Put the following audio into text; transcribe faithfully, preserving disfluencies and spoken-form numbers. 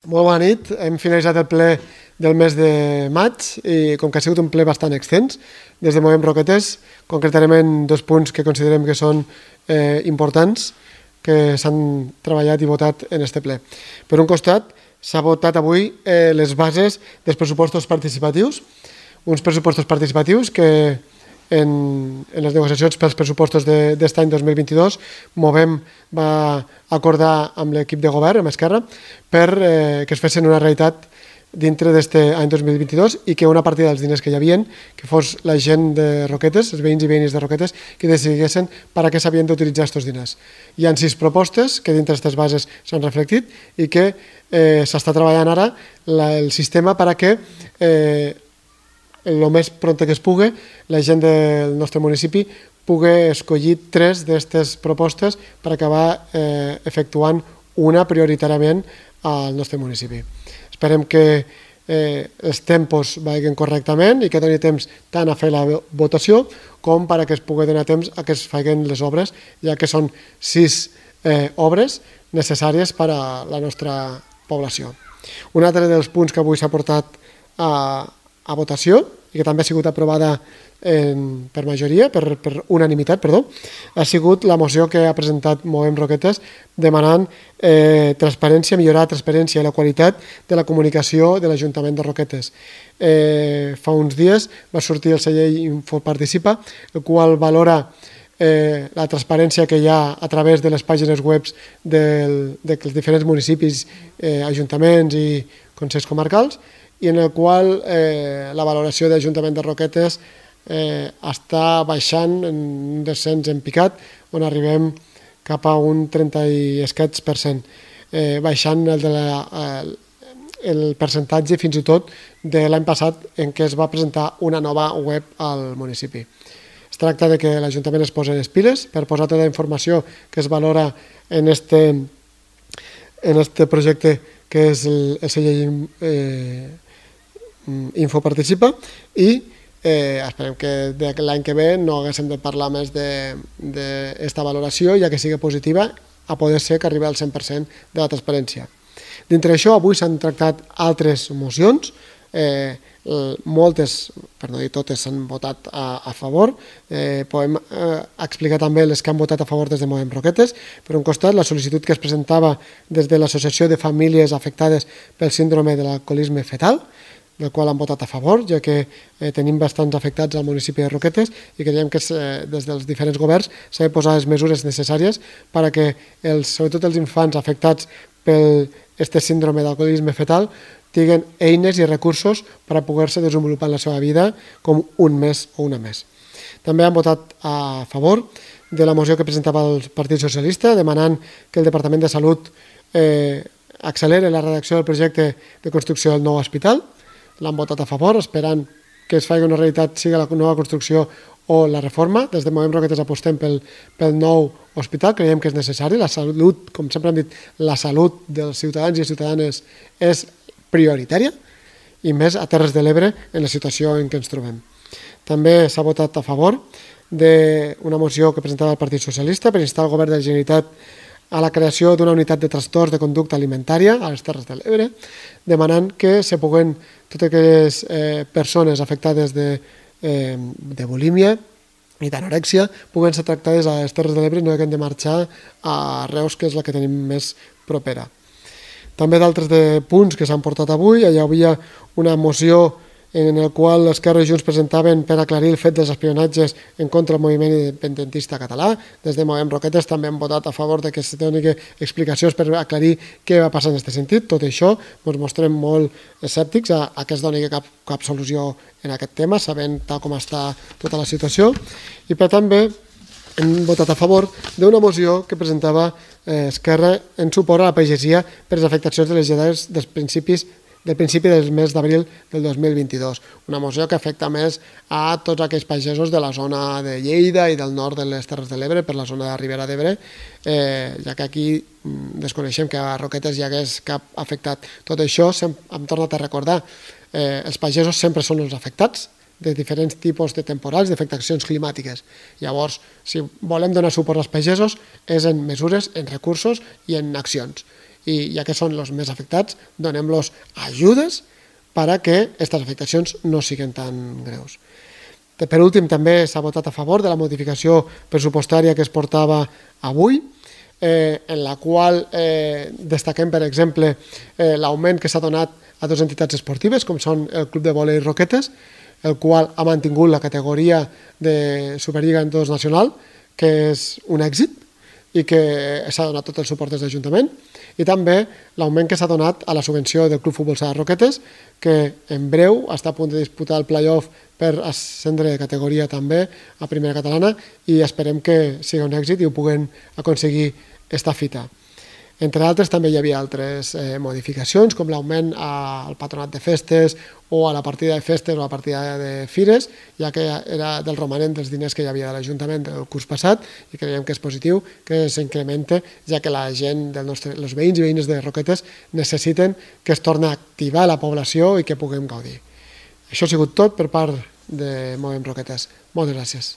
Molt bona nit. Hem finalitzat el ple del mes de maig i com que ha sigut un ple bastant extens, des de Movem Roquetes concretarem dos punts que considerem que són eh, importants que s'han treballat i votat en este ple. Per un costat, s'ha votat avui eh, les bases dels pressupostos participatius, uns pressupostos participatius que en, en les negociacions pels pressupostos d'aquest any dos mil vint-i-dos Movem va acordar amb l'equip de govern, amb Esquerra, per eh, que es fessin una realitat dintre d'aquest any dos mil vint-i-dos i que una partida dels diners que hi havia, que fos la gent de Roquetes, els veïns i veïnes de Roquetes, que decidissin per a què s'havien d'utilitzar aquests diners. Hi ha sis propostes que dintre d'aquestes bases s'han reflectit i que eh, s'està treballant ara la, el sistema per a que eh, el més pront que es pugui, la gent del nostre municipi pugui escollir tres d'aquestes propostes per acabar eh, efectuant una prioritàriament al nostre municipi. Esperem que eh, els tempos vagin correctament i que doni temps tant a fer la votació com per a que es pugui donar temps a que es facin les obres, ja que són sis eh, obres necessàries per a la nostra població. Un altre dels punts que avui s'ha portat a a votació i que també ha sigut aprovada en, per majoria, per, per unanimitat, perdó, ha sigut la moció que ha presentat Movem Roquetes demanant eh, transparència, millorar la transparència i la qualitat de la comunicació de l'Ajuntament de Roquetes. Eh, fa uns dies va sortir el celler Infoparticipa, el qual valora eh, la transparència que hi ha a través de les pàgines web del, dels diferents municipis, eh, ajuntaments i consells comarcals, i en el qual eh, la valoració de l'Ajuntament de Roquetes eh, està baixant en un descens en picat, on arribem cap a un trenta i escaig per cent, eh, baixant el, de la, eh, el percentatge fins i tot de l'any passat en què es va presentar una nova web al municipi. Es tracta de que l'Ajuntament es posi les piles per posar tota la informació que es valora en este, en este projecte que és el, el celler eh, Infoparticipa i eh, esperem que l'any que ve no haguéssim de parlar més d'aquesta valoració, ja que sigui positiva, a poder ser que arribi al cent per cent de la transparència. Dintre d'això, avui s'han tractat altres mocions, eh, moltes, per no dir totes, s'han votat a, a favor. Eh, podem eh, explicar també les que han votat a favor des de Movem Roquetes. Per un costat, la sol·licitud que es presentava des de l'Associació de Famílies Afectades pel Síndrome de l'Alcoholisme Fetal, del qual han votat a favor, ja que eh, tenim bastants afectats al municipi de Roquetes i creiem que eh, des dels diferents governs s'han de posar les mesures necessàries per a que, els, sobretot els infants afectats per aquest síndrome d'alcoholisme fetal, tinguin eines i recursos per a poder-se desenvolupar en la seva vida com un mes o una més. També han votat a favor de la moció que presentava el Partit Socialista, demanant que el Departament de Salut eh, acceleri la redacció del projecte de construcció del nou hospital. L'han votat a favor, esperant que es faci una realitat, sigui la nova construcció o la reforma. Des de Movem Roquetes apostem pel, pel nou hospital, creiem que és necessari. La salut, com sempre hem dit, la salut dels ciutadans i ciutadanes és prioritària, i més a Terres de l'Ebre en la situació en què ens trobem. També s'ha votat a favor d'una moció que presentava el Partit Socialista per instar el Govern de la Generalitat a la creació d'una unitat de trastorns de conducta alimentària a les Terres de l'Ebre, demanant que se puguen totes aquelles eh, persones afectades de, eh, de bulímia i d'anorèxia puguen ser tractades a les Terres de l'Ebre i no hagin de marxar a Reus, que és la que tenim més propera. També d'altres de punts que s'han portat avui, hi havia una moció en el qual Esquerra i Junts presentaven per aclarir el fet dels espionatges en contra del moviment independentista català. Des de Movem Roquetes també hem votat a favor de que es doni explicacions per aclarir què va passar en aquest sentit. Tot això ens mostrem molt escèptics a, a que es doni cap, cap solució en aquest tema, sabent tal com està tota la situació. I per també hem votat a favor d'una moció que presentava eh, Esquerra en suport a la pagesia per les afectacions de les gelades dels principis del principi del mes d'abril del dos mil vint-i-dos. Una moció que afecta més a tots aquells pagesos de la zona de Lleida i del nord de les Terres de l'Ebre, per la zona de Ribera d'Ebre, eh, ja que aquí desconeixem que a Roquetes hi hagués cap afectat. Tot això hem tornat a recordar. Eh, els pagesos sempre són els afectats de diferents tipus de temporals, d'afectacions climàtiques. Llavors, si volem donar suport als pagesos, és en mesures, en recursos i en accions. i ja que són els més afectats, donem-los ajudes perquè aquestes afectacions no siguin tan greus. Per últim, també s'ha votat a favor de la modificació pressupostària que es portava avui, eh, en la qual eh, destaquem, per exemple, eh, l'augment que s'ha donat a dues entitats esportives, com són el Club de Vòlei Roquetes, el qual ha mantingut la categoria de Superliga en dos nacional, que és un èxit, i que s'ha donat tot el suport des de l'Ajuntament, i també l'augment que s'ha donat a la subvenció del Club Futbol Sala Roquetes, que en breu està a punt de disputar el play-off per ascendre de categoria també a Primera Catalana, i esperem que sigui un èxit i ho puguem aconseguir esta fita. Entre altres, també hi havia altres eh, modificacions, com l'augment al patronat de festes o a la partida de festes o a la partida de fires, ja que era del romanent dels diners que hi havia de l'Ajuntament del curs passat, i creiem que és positiu que s'incremente, ja que la gent, del nostre, els veïns i veïnes de Roquetes necessiten que es torni a activar la població i que puguem gaudir. Això ha sigut tot per part de Movem Roquetes. Moltes gràcies.